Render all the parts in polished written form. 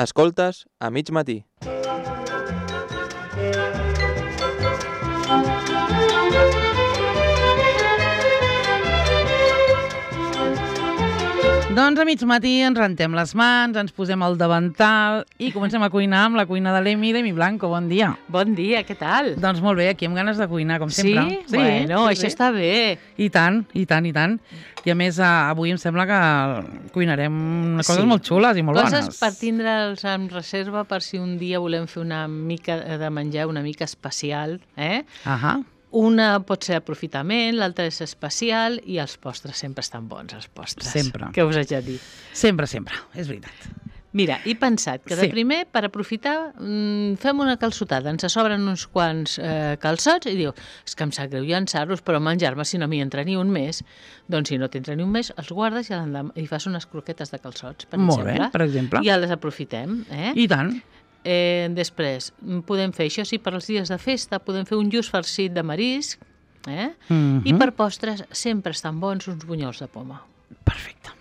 Escoltes a mig matí. Doncs a mig matí ens rentem les mans, ens posem el davantal i comencem a cuinar amb la cuina de l'Emi Blanco. Bon dia. Bon dia, què tal? Doncs molt bé, aquí amb ganes de cuinar, com sempre. Sí? Bueno, això està bé. I tant, i tant, i tant. I a més, avui em sembla que cuinarem coses molt xules i molt bones. Coses per tindre'ls en reserva per si un dia volem fer una mica de menjar una mica especial, Ahà. Una pot ser aprofitament, l'altra és especial i els postres sempre estan bons, els postres. Sempre. Què us haig de dir? Sempre, és veritat. Mira, he pensat que de primer, per aprofitar, fem una calçotada. Ens sobren uns quants calçots i diu, és que em sap greu llançar-los, però menjar-me si no m'hi entra ni un mes. Doncs si no t'entra ni un mes, els guardes i fas unes croquetes de calçots, per exemple. Molt bé, per exemple. I ja les aprofitem. I tant. Després, podem fer, això sí, per als dies de festa, podem fer un lluç farcit de marisc, i per postres sempre estan bons uns bunyols de poma. Perfecte.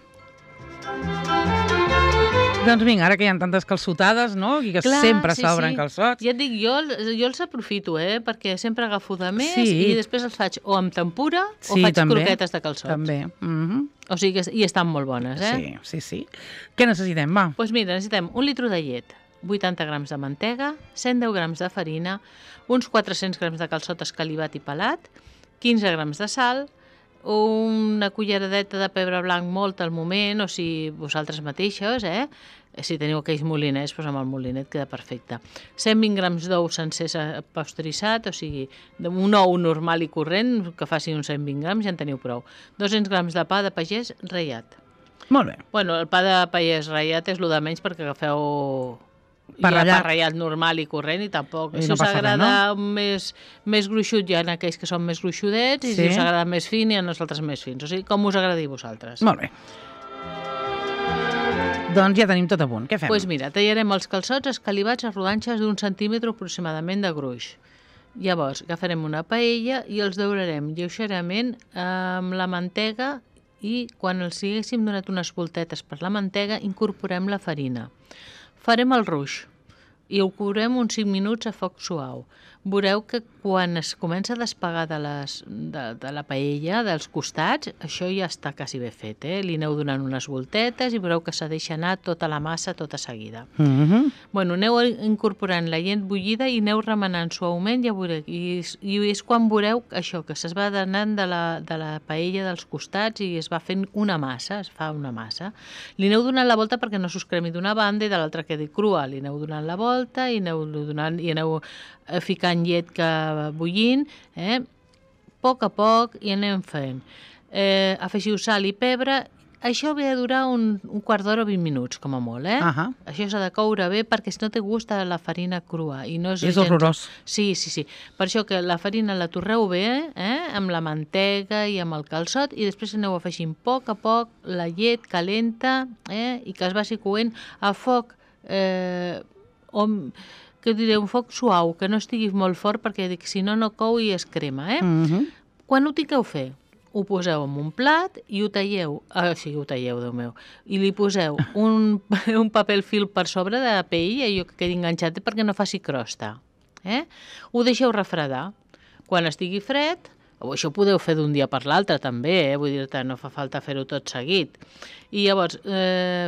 Doncs vinga, ara que hi ha tantes calçotades, no? I que sempre s'obren calçots. Ja et dic, jo els aprofito, perquè sempre agafo de més i després els faig o amb tempura o faig croquetes de calçots. També. O sigui, i estan molt bones, Sí. Què necessitem, va? Doncs mira, necessitem 1 litre de llet, 80 grams de mantega, 110 grams de farina, uns 400 grams de calçot escalivat i pelat, 15 grams de sal, una culleradeta de pebre blanc molt al moment, o si vosaltres mateixos, si teniu aquells molinets, doncs amb el molinet queda perfecte. 120 grams d'ou sencer pasteuritzat, o sigui, un ou normal i corrent, que faci uns 120 grams, ja en teniu prou. 200 grams de pa de pagès ratllat. Molt bé. Bueno, el pa de pagès ratllat és el de menys perquè agafeu pa ratllat normal i corrent i tampoc. Si us agrada més gruixut, hi ha aquells que són més gruixudets i si us agrada més fin, hi ha els altres més fins. O sigui, com us agradi a vosaltres. Molt bé. Doncs ja tenim tot a punt. Què fem? Doncs mira, tallarem els calçots escalivats a rodanxes d'1 centímetre aproximadament de gruix. Llavors, agafarem una paella i els daurarem lleugerament amb la mantega i quan els haguéssim donat unes voltetes per la mantega, incorporem la farina. Farem el ruix i ho courem uns 5 minuts a foc suau. Veureu que quan es comença a despegar de la paella, dels costats, això ja està quasi bé fet. Li aneu donant unes voltetes i veureu que s'ha deixat anar tota la massa tota seguida. Bueno, aneu incorporant la llet bullida i aneu remenant suaument, ja veureu, i és quan veureu això, que se's va anant de la paella dels costats i es va fent una massa, es fa una massa. Li aneu donant la volta perquè no s'us cremi d'una banda i de l'altra quedi crua. Li aneu donant la volta i aneu ficant llet bullint, poc a poc i anem fent. Afegiu sal i pebre. Això ve a durar un quart d'hora o 20 minuts, com a molt, Això s'ha de coure bé perquè si no té gust a la farina crua. És horrorós. Sí. Per això que la farina la torreu bé, amb la mantega i amb el calçot i després aneu afegint a poc la llet calenta i que es vagi coent a foc un foc suau, que no estigui molt fort perquè si no cou i es crema. Quan ho tingueu fet, ho poseu en un plat i ho talleu, Déu meu, i li poseu un paper fil per sobre de paella, allò que quedi enganxat perquè no faci crosta. Ho deixeu refredar. Quan estigui fred, això ho podeu fer d'un dia per l'altre també, vull dir-te, no fa falta fer-ho tot seguit. I llavors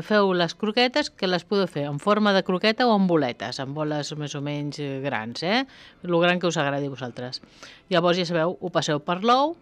feu les croquetes, que les podeu fer en forma de croqueta o en boletes, en boles més o menys grans, el gran que us agradi a vosaltres. Llavors, ja sabeu, ho passeu per l'ou,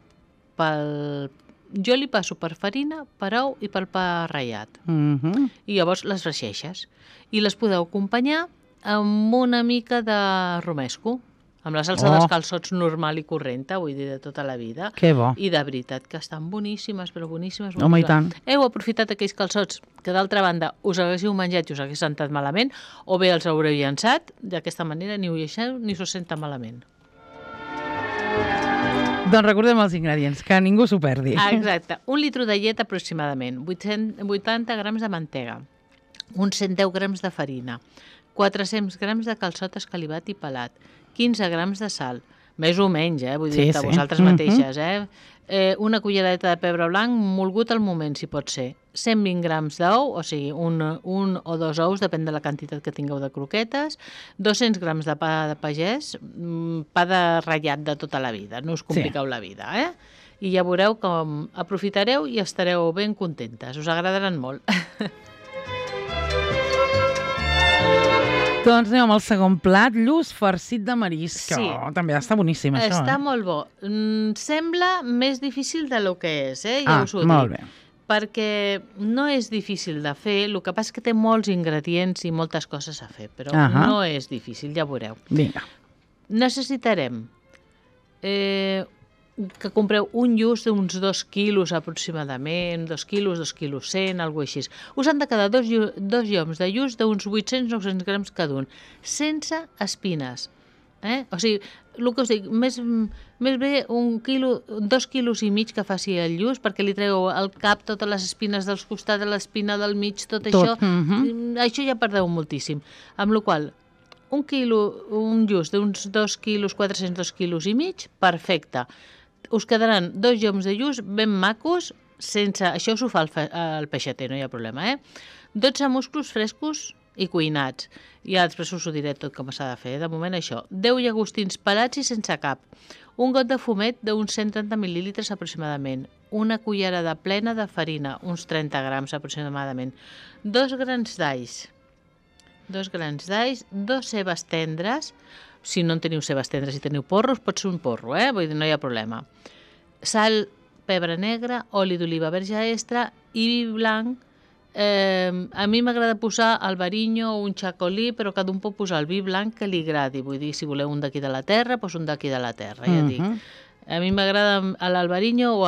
jo li passo per farina, per ou i per pa ratllat. I llavors les fregeixes. I les podeu acompanyar amb una mica de romesco, amb la salsa dels calçots normal i correnta, vull dir, de tota la vida. Que bo. I de veritat que estan boníssimes, però boníssimes. Home, i tant. Heu aprofitat aquells calçots que d'altra banda us haguéssiu menjat i us hagués sentat malament, o bé els haureu llançat, d'aquesta manera ni ho lleixeu ni us senta malament. Doncs recordem els ingredients, que ningú s'ho perdi. Exacte. 1 litre de llet aproximadament, 80 grams de mantega, uns 110 grams de farina, 400 grams de calçot escalivat i pelat, 15 grams de sal, Més o menys, vull dir, que vosaltres mateixes, una cullereta de pebre blanc molgut al moment, si pot ser. 120 grams d'ou, o sigui, un o dos ous, depèn de la quantitat que tingueu de croquetes, 200 grams de pa de pagès, pa de ratllat de tota la vida, no us compliqueu la vida, I ja veureu com aprofitareu i estareu ben contentes, us agradaran molt. Doncs anem amb el segon plat, lluç farcit de marisc. Sí. També està boníssim, això. Està molt bo. Sembla més difícil del que és, ja us ho dic. Molt bé. Perquè no és difícil de fer, el que passa és que té molts ingredients i moltes coses a fer, però no és difícil, ja veureu. Vinga. Necessitarem que compreu un lluç d'uns 2 quilos aproximadament, 2 quilos, 2 quilos 100, alguna cosa així. Us han de quedar dos lloms de lluç d'uns 800-900 grams cada un, sense espines. O sigui, el que us dic, més bé 2 quilos i mig que faci el lluç, perquè li treu al cap totes les espines dels costats, l'espina del mig, tot això. Això ja perdeu moltíssim. Amb la qual un lluç d'uns 2 quilos, 400, 2 quilos i mig, perfecte. Us quedaran 2 lloms de lluç ben macos, sense... Això us ho fa el peixater, no hi ha problema, 12 musclos frescos i cuinats. Ja després us ho diré tot com s'ha de fer. De moment això. 10 llagostins pelats i sense cap. Un got de fumet d'uns 130 mil·lílitres aproximadament. Una cullerada plena de farina, uns 30 grams aproximadament. 2 grans d'alls. 2 grans d'alls, 2 cebes tendres. Si no en teniu cebes tendres i teniu porros, pot ser un porro, vull dir, no hi ha problema. Sal, pebre negre, oli d'oliva verge extra i vi blanc. A mi m'agrada posar albariño o un xacolí, però cada un pot posar el vi blanc que li agradi. Vull dir, si voleu un d'aquí de la terra, doncs un d'aquí de la terra, ja dic. A mi m'agrada l'albariño o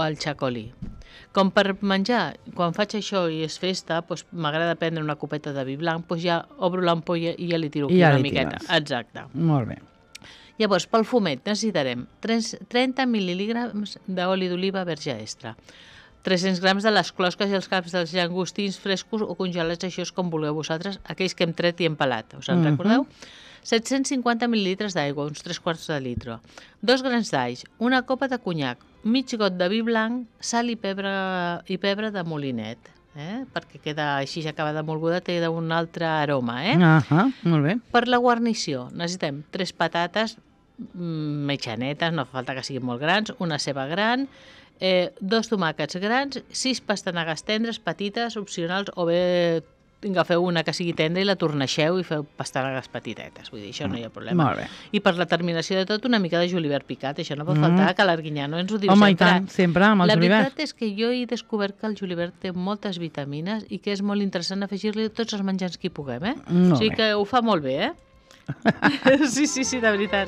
el xacolí. Com per menjar, quan faig això i és festa, doncs m'agrada prendre una copeta de vi blanc, doncs ja obro l'ampolla i ja li tiro aquí una miqueta. Exacte. Molt bé. Llavors, pel fumet necessitarem 30 mil·lígrams d'oli d'oliva verge extra, 300 grams de les closques i els caps dels llagostins frescos o congelats, això és com vulgueu vosaltres, aquells que hem tret i hem pelat, us en recordeu? 750 mil·lilitres d'aigua, uns 3/4 de litre, 2 grans d'alls, una copa de conyac, mig got de vi blanc, sal i pebre de molinet, perquè queda així, ja acaba de molguda, té un altre aroma. Molt bé. Per la guarnició necessitem 3 patates mitjanetes, no fa falta que siguin molt grans, una ceba gran, 2 tomàquets grans, 6 pastanagues tendres, petites, opcionals, o bé agafeu una que sigui tendra i la torneixeu i feu pastanagues petitetes, vull dir, això no hi ha problema. Molt bé. I per la terminació de tot, una mica de julivert picat, això no pot faltar, que l'Arguinyà no ens ho diu sempre. Home, i tant, sempre amb el julivert. La veritat és que jo he descobert que el julivert té moltes vitamines i que és molt interessant afegir-li tots els menjars que hi puguem, O sigui que ho fa molt bé, Sí, de veritat.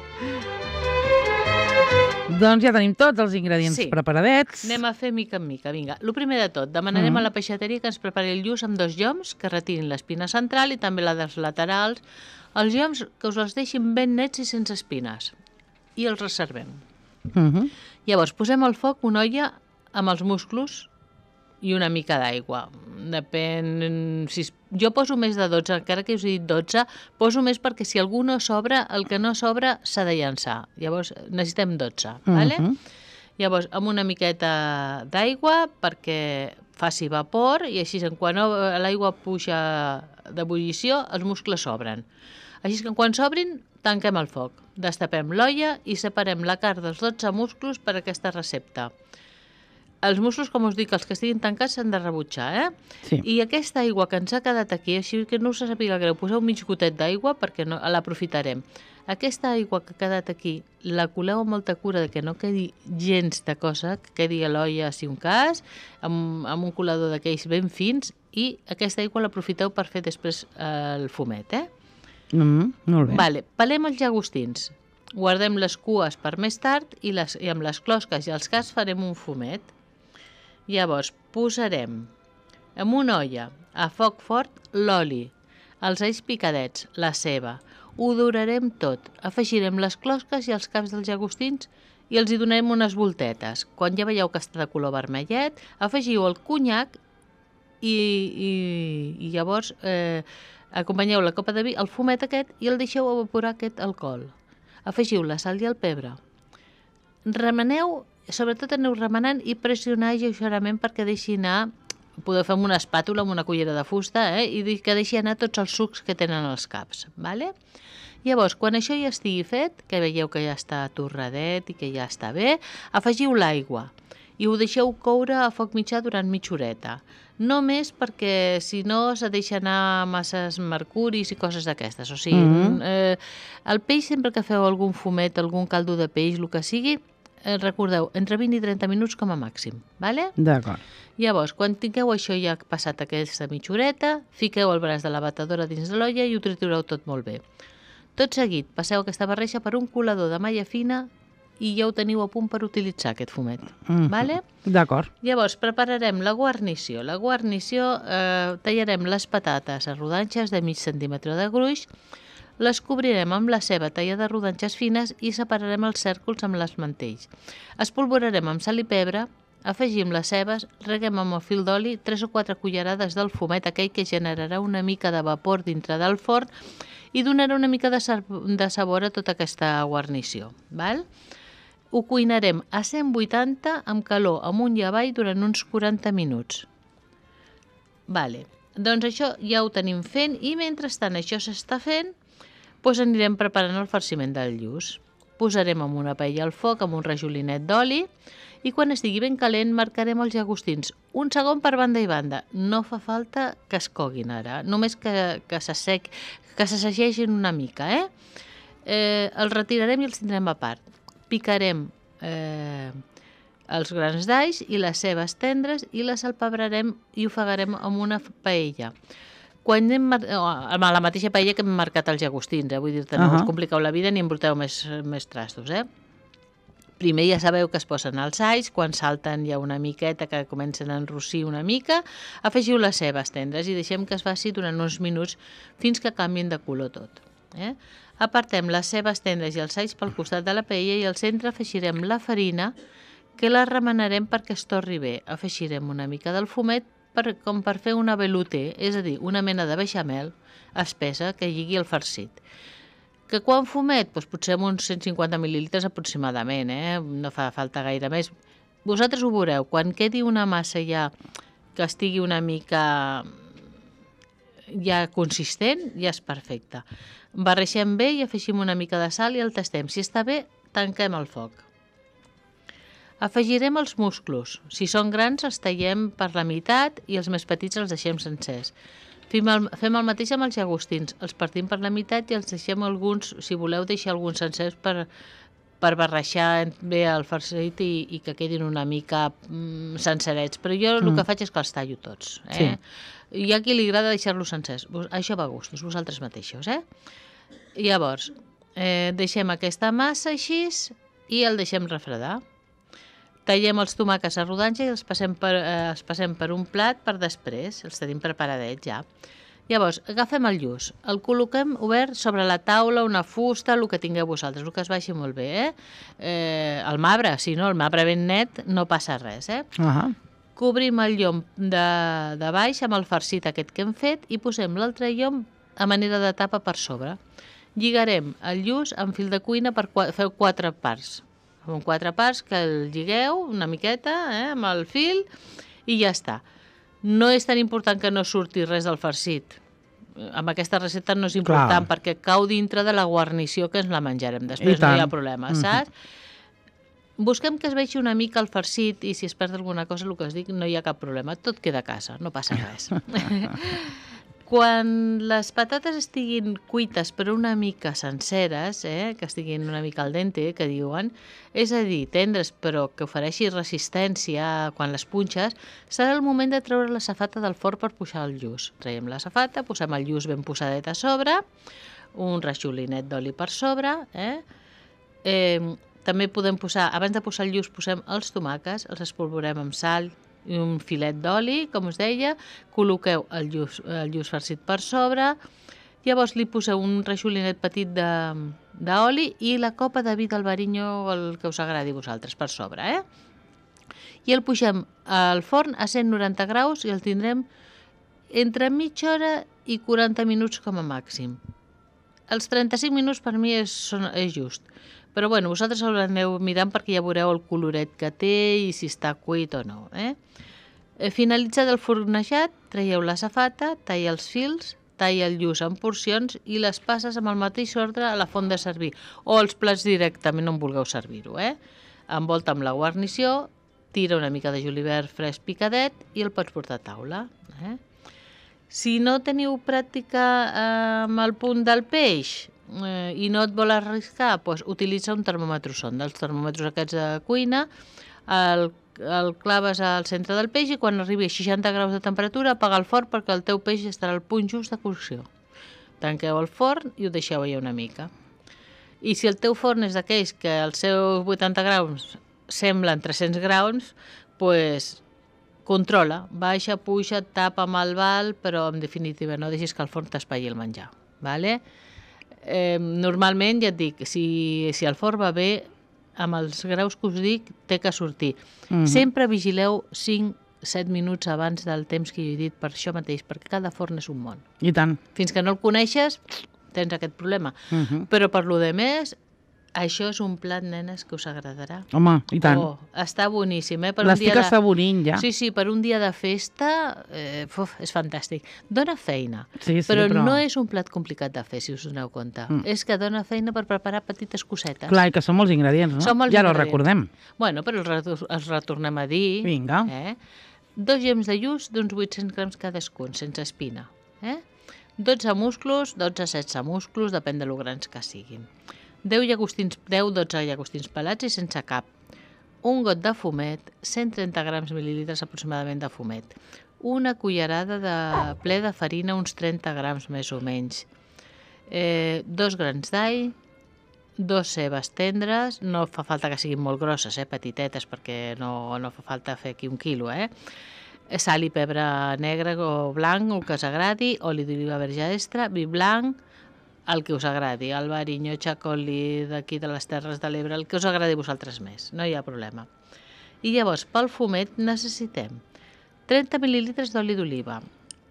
Doncs ja tenim tots els ingredients preparadets. Anem a fer mica en mica, vinga. El primer de tot, demanarem a la peixateria que ens prepari el lluç amb 2 lloms, que retirin l'espina central i també la dels laterals. Els lloms que us els deixin ben nets i sense espines. I els reservem. Llavors, posem al foc una olla amb els musclos i una mica d'aigua. Depèn... Jo poso més de 12, encara que us he dit 12, poso més perquè si algú no sobra, el que no sobra s'ha de llançar. Llavors necessitem 12, ¿vale? Llavors, amb una miqueta d'aigua perquè faci vapor i així quan l'aigua puja d'ebullició, els muscles s'obren. Així que quan s'obrin, tanquem el foc, destapem l'olla i separem la carn dels 12 musclos per a aquesta recepta. Els musclos, com us dic, els que estiguin tancats s'han de rebutjar, Sí. I aquesta aigua que ens ha quedat aquí, així que no us sàpiga greu, poseu mig gotet d'aigua perquè l'aprofitarem. Aquesta aigua que ha quedat aquí, la coleu amb molta cura que no quedi gens de cosa, que quedi a l'olla, si un cas, amb un colador d'aquells ben fins, i aquesta aigua l'aprofiteu per fer després el fumet, Molt bé. Vale, pelem els llagostins. Guardem les cues per més tard i amb les closques i els caps farem un fumet. Llavors, posarem en una olla a foc fort l'oli, els alls picadets, la ceba. Ho dorarem tot. Afegirem les closques i els caps dels llagostins i els hi donarem unes voltetes. Quan ja veieu que està de color vermellet, afegiu el conyac i llavors acompanyeu la copa de vi, el fumet aquest, i el deixeu evaporar aquest alcohol. Afegiu la sal i el pebre. Remeneu, sobretot aneu remenant i pressionar lleugerament perquè deixi anar, podeu fer amb una espàtula, amb una cullera de fusta, i que deixi anar tots els sucs que tenen els caps. Vale? Llavors, quan això ja estigui fet, que veieu que ja està torradet i que ja està bé, afegiu l'aigua i ho deixeu coure a foc mitjà durant mitja horeta. No més perquè, si no, se deixa anar masses mercuris i coses d'aquestes. O sigui, el peix, sempre que feu algun fumet, algun caldo de peix, el que sigui, recordeu, entre 20 i 30 minuts com a màxim. Vale? D'acord. Llavors, quan tingueu això ja passat aquesta mitja horeta, fiqueu el braç de la batedora dins de l'olla i ho tritureu tot molt bé. Tot seguit, passeu aquesta barreja per un colador de malla fina i ja ho teniu a punt per utilitzar, aquest fumet. Vale? D'acord. Llavors, prepararem la guarnició. La guarnició, tallarem les patates a rodanxes de mig centímetre de gruix, les cobrirem amb la ceba tallada a rodanxes fines i separarem els cèrcols amb les mantells. Espolvorarem amb sal i pebre, afegim les cebes, reguem amb el fil d'oli 3 o 4 cullerades del fumet, aquell que generarà una mica de vapor dintre del forn i donarà una mica de sabor a tota aquesta guarnició. Val? Ho cuinarem a 180 amb calor amunt i avall durant uns 40 minuts. Vale. Doncs això ja ho tenim fent i mentrestant això s'està fent, doncs anirem preparant el farciment del lluç. Posarem en una paella al foc amb un rajolinet d'oli i quan estigui ben calent marcarem els llagostins. Un segon per banda i banda. No fa falta que es coguin ara, només que s'assagegin una mica. Els retirarem i els tindrem a part. Picarem els grans d'alls i les cebes tendres i les salpebrarem i ofegarem amb una paella. Quan a la mateixa paella que hem marcat els llagostins, vull dir-te, no us compliqueu la vida ni embruteu més trastos. Primer ja sabeu que es posen els alls, quan salten ja una miqueta, que comencen a enrossir una mica, afegiu les cebes tendres i deixem que es faci durant uns minuts fins que canvien de color tot. Apartem les cebes tendres i els alls pel costat de la paella i al centre afegirem la farina, que la remenarem perquè es torri bé. Afegirem una mica del fumet com per fer una velouté, és a dir, una mena de beixamel espessa que lligui el farcit. Que quan fumet? Doncs potser uns 150 mil·lilitres aproximadament, no fa falta gaire més. Vosaltres ho veureu, quan quedi una massa ja que estigui una mica ja consistent, ja és perfecte. Barreixem bé i afegim una mica de sal i el tastem. Si està bé, tanquem el foc. Afegirem els musclos. Si són grans, els tallem per la meitat i els més petits els deixem sencers. Fem el mateix amb els llagostins. Els partim per la meitat i els deixem alguns, si voleu, deixar alguns sencers per barreixar bé el farcit i que quedin una mica sencerets. Però jo el que faig és que els tallo tots. Hi ha qui li agrada deixar-los sencers. Això va a gustos, vosaltres mateixos. Llavors, deixem aquesta massa així i el deixem refredar. Tallem els tomàquets a rodanxa i els passem per un plat per després. Els tenim preparadets ja. Llavors, agafem el lluç, el col·loquem obert sobre la taula, una fusta, el que tingueu vosaltres, el que es vagi molt bé. El marbre, si no, el marbre ben net, no passa res. Cobrim el llom de baix amb el farcit aquest que hem fet i posem l'altre llom a manera de tapa per sobre. Lligarem el lluç amb fil de cuina per fer 4 parts. Amb 4 parts que el lligueu una miqueta amb el fil i ja està. No és tan important que no surti res del farcit. Amb aquesta recepta no és important perquè cau dintre de la guarnició que ens la menjarem. Després no hi ha problema, saps? Busquem que es vegi una mica el farcit i si es perd alguna cosa, el que us dic, no hi ha cap problema. Tot queda a casa, no passa res. Quan les patates estiguin cuites però una mica senceres, que estiguin una mica al dente, que diuen, és a dir, tendres però que ofereixi resistència quan les punxes, serà el moment de treure la safata del forn per pujar el lluç. Traiem la safata, posem el lluç ben posadet a sobre, un rajolinet d'oli per sobre, també podem posar, abans de posar el lluç, posem els tomàquets, els espolvorem amb sal i un filet d'oli, com us deia, col·loqueu el lluç farcit per sobre, llavors li poseu un rajolinet petit d'oli i la copa de vi d'Albariño, el que us agradi a vosaltres, per sobre. I el pugem al forn a 190 graus i el tindrem entre mitja hora i 40 minuts com a màxim. Els 35 minuts per mi és just. Però bueno, vosaltres ho aneu mirant perquè ja veureu el coloret que té i si està cuit o no. Finalitzat el fornejat, traieu la safata, talla els fils, talla el lluç en porcions i les passes amb el mateix ordre a la font de servir o als plats directament on vulgueu servir-ho. Envolta amb la guarnició, tira una mica de julivert fresc picadet i el pots portar a taula. Si no teniu pràctica amb el punt del peix i no et vol arriscar, doncs utilitza un termòmetre sonda. Els termòmetres aquests de cuina el claves al centre del peix i quan arribi a 60 graus de temperatura apaga el forn perquè el teu peix estarà al punt just de cocció. Tanqueu el forn i ho deixeu allà una mica. I si el teu forn és d'aquells que els seus 80 graus semblen 300 graus, doncs controla, baixa, puja, tapa amb el bal, però en definitiva no deixis que el forn t'espatlli el menjar. Vale? Normalment, ja et dic, si el forn va bé, amb els graus que us dic, té que sortir. Sempre vigileu 5-7 minuts abans del temps que jo he dit per això mateix, perquè cada forn és un món. I tant. Fins que no el coneixes, tens aquest problema. Però per lo de més, això és un plat, nenes, que us agradarà. Home, i tant. Està boníssim, L'estic assaborint ja. Sí, per un dia de festa és fantàstic. Dóna feina, Sí, però no és un plat complicat de fer, si us doneu compte. És que dóna feina per preparar petites cosetes. Clar, i que són molts ingredients, no? Són molts Ja no ingredients. recordem. Bueno, però els retornem a dir. Vinga. 2 gems de lluç d'uns 800 grams cadascun, sense espina. 12 musclos, 12-16 musclos, depèn de lo grans que siguin. 10-12 llagostins pelats i sense cap. Un got de fumet, 130 grams mil·lilitres aproximadament de fumet. Una cullerada ple de farina, uns 30 grams més o menys. 2 grans d'all, 2 cebes tendres, no fa falta que siguin molt grosses, petitetes, perquè no fa falta fer aquí 1 quilo. Sal i pebre negre o blanc, el que us agradi, oli d'oliva verge extra, vi blanc, el que us agradi, el Barinyó, Chacoli, d'aquí de les Terres de l'Ebre, el que us agradi a vosaltres més, no hi ha problema. I llavors, pel fumet necessitem 30 mil·lilitres d'oli d'oliva,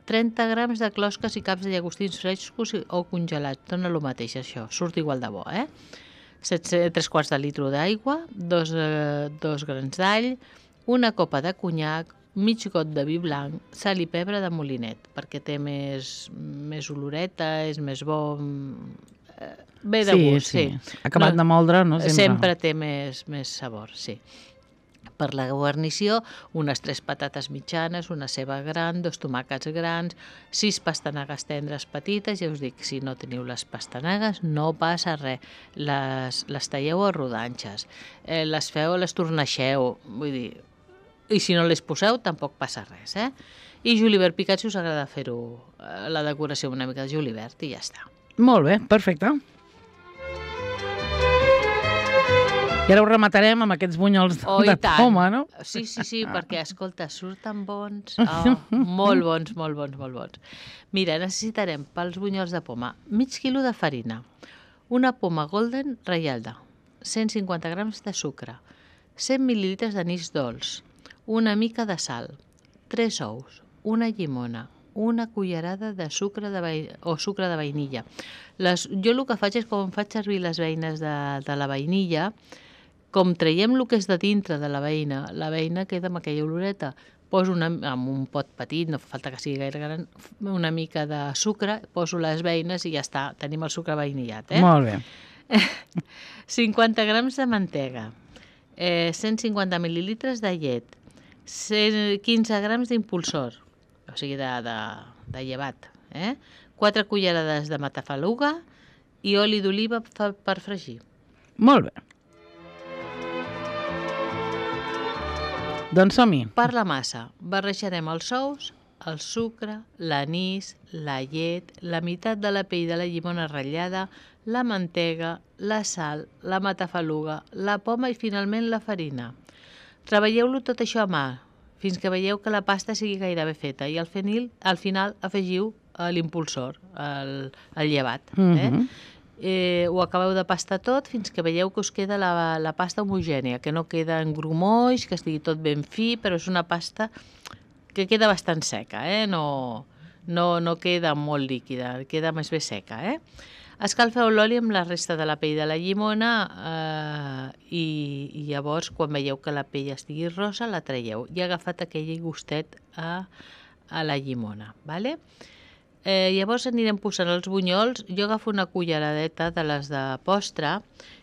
30 grams de closques i caps de llagostins frescos o congelats, dona el mateix això, surt igual de bo, 3 quarts de litre d'aigua, 2 grans d'all, una copa de conyac, mig got de vi blanc, sal i pebre de molinet, perquè té més oloreta, és més bo, bé de gust, sí. Acabat de moldre, no? Sempre té més sabor, sí. Per la guarnició, unes 3 patates mitjanes, una ceba gran, 2 tomàquets grans, 6 pastanagues tendres petites, ja us dic, si no teniu les pastanagues no passa res, les talleu a rodanxes, les torneixeu, vull dir, i si no les poseu tampoc passa res, I julivert picat, si us agrada fer-ho, la decoració amb una mica de julivert i ja està. Molt bé, perfecte. I ara ho rematarem amb aquests bunyols de poma, no? Sí, perquè, escolta, surten bons, molt bons. Mira, necessitarem pels bunyols de poma mig quilo de farina, una poma golden reialda, 150 grams de sucre, 100 mil·lilitres d'anís dolç, una mica de sal, 3 ous, una llimona, una cullerada de sucre de vainilla. Jo el que faig és, com faig servir les beines de la vainilla, com traiem el que és de dintre de la beina queda amb aquella oloreta. Poso en un pot petit, no fa falta que sigui gaire gran, una mica de sucre, poso les beines i ja està, tenim el sucre vainillat. Molt bé. 50 grams de mantega, 150 mil·lilitres de llet, 15 grams d'impulsor, o sigui de llevat, 4 cullerades de matafaluga i oli d'oliva per fregir. Molt bé. Doncs som-hi. Per la massa, barrejarem els ous, el sucre, l'anís, la llet, la meitat de la pell de la llimona ratllada, la mantega, la sal, la matafaluga, la poma i finalment la farina. Treballeu-lo tot això a mà, fins que veieu que la pasta sigui gairebé feta i al final afegiu l'impulsor, el llevat. Ho acabeu de pastar tot fins que veieu que us queda la pasta homogènia, que no queda en grumolls, que estigui tot ben fi, però és una pasta que queda bastant seca, no queda molt líquida, queda més bé seca. Escalfeu l'oli amb la resta de la pell de la llimona i llavors, quan veieu que la pell estigui rosa, la traieu. I ha agafat aquell gustet a la llimona. Vale? Llavors anirem posant els bunyols. Jo agafo una culleradeta de les de postre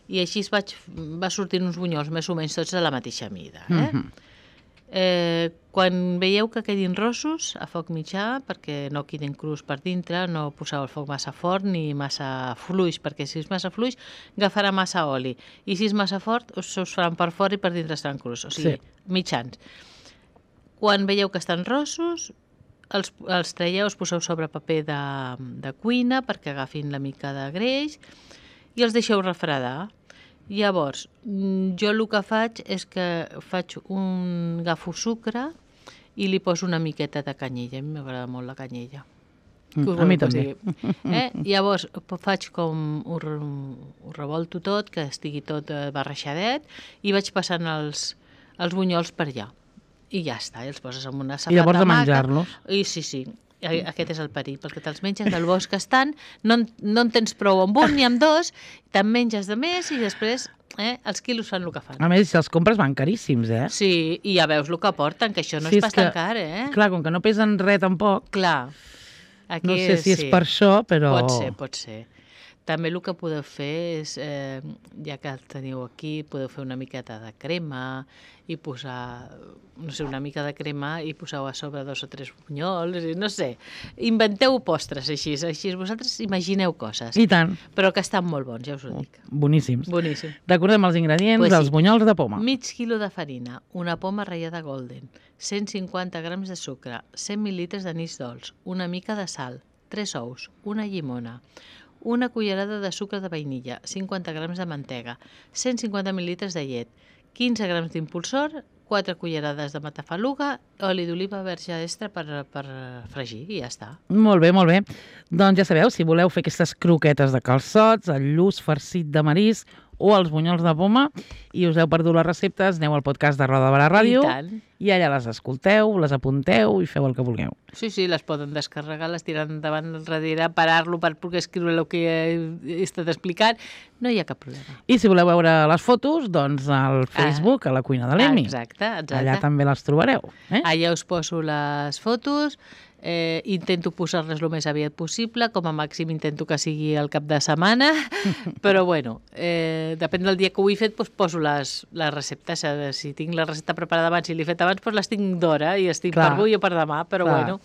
i així va sortint uns bunyols més o menys tots de la mateixa mida. Quan veieu que quedin rossos, a foc mitjà, perquè no quedin crus per dintre, no poseu el foc massa fort ni massa fluix, perquè si és massa fluix agafarà massa oli, i si és massa fort us faran per fora i per dintre estaran crus, o sigui, mitjans. Quan veieu que estan rossos, els traieu, els poseu sobre paper de cuina perquè agafin la mica de greix i els deixeu refredar. Llavors, jo el que faig és que agafo sucre i li poso una miqueta de canyella. A mi m'agrada molt la canyella. A mi també. Llavors, faig com ho revolto tot, que estigui tot barreixadet, i vaig passant els bunyols per allà. I ja està, i els poses en una safata. I llavors de menjar-los. Sí. Aquest és el perill, perquè te'ls menges del bosc que estan, no en tens prou amb un ni amb dos, te'n menges de més i després els quilos fan el que fan. A més, si els compres van caríssims, Sí, i ja veus el que porten, que això no és pas tan car, Clar, com que no pesen res tampoc. Clar. No sé si és per això, però... Pot ser. També el que podeu fer és, ja que el teniu aquí, podeu fer una miqueta de crema i posar, no sé, una mica de crema i poseu a sobre 2 o 3 bunyols, no sé. Inventeu postres així vosaltres imagineu coses. I tant. Però que estan molt bons, ja us ho dic. Boníssims. Boníssim. Recordem els ingredients, els bunyols de poma. Mig quilo de farina, una poma ratllada golden, 150 grams de sucre, 100 mil·litres d'anís dolç, una mica de sal, 3 ous, una llimona, una cullerada de sucre de vainilla, 50 grams de mantega, 150 mil·litres de llet, 15 grams d'impulsor, 4 cullerades de matafaluga, oli d'oliva verge extra per fregir i ja està. Molt bé, molt bé. Doncs ja sabeu, si voleu fer aquestes croquetes de calçots, el lluç farcit de marisc o els bunyols de poma i us heu perdut les receptes, aneu al podcast de Roda de Barà Ràdio i allà les escolteu, les apunteu i feu el que vulgueu. Sí, les poden descarregar, les tiren endavant darrere, parar-lo per poder escriure el que he estat explicant, no hi ha cap problema. I si voleu veure les fotos, doncs al Facebook, a la cuina de l'Emi. Exacte. Allà també les trobareu. Allà us poso les fotos, intento posar-les el més aviat possible, com a màxim intento que sigui el cap de setmana, però bueno, depèn del dia que ho he fet, doncs poso les receptes. Si tinc la recepta preparada abans i l'he fet abans, doncs les tinc d'hora i estic per avui o per demà, però bueno.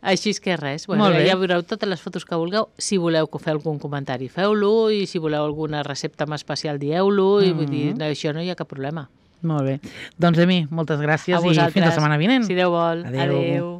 Així és que res, ja veureu totes les fotos que vulgueu. Si voleu que feu algun comentari, feu-lo, i si voleu alguna recepta més especial, dieu-lo, i vull dir, això no hi ha cap problema. Molt bé. Doncs, Emi, moltes gràcies i fins la setmana vinent. Si Déu vol. Adéu.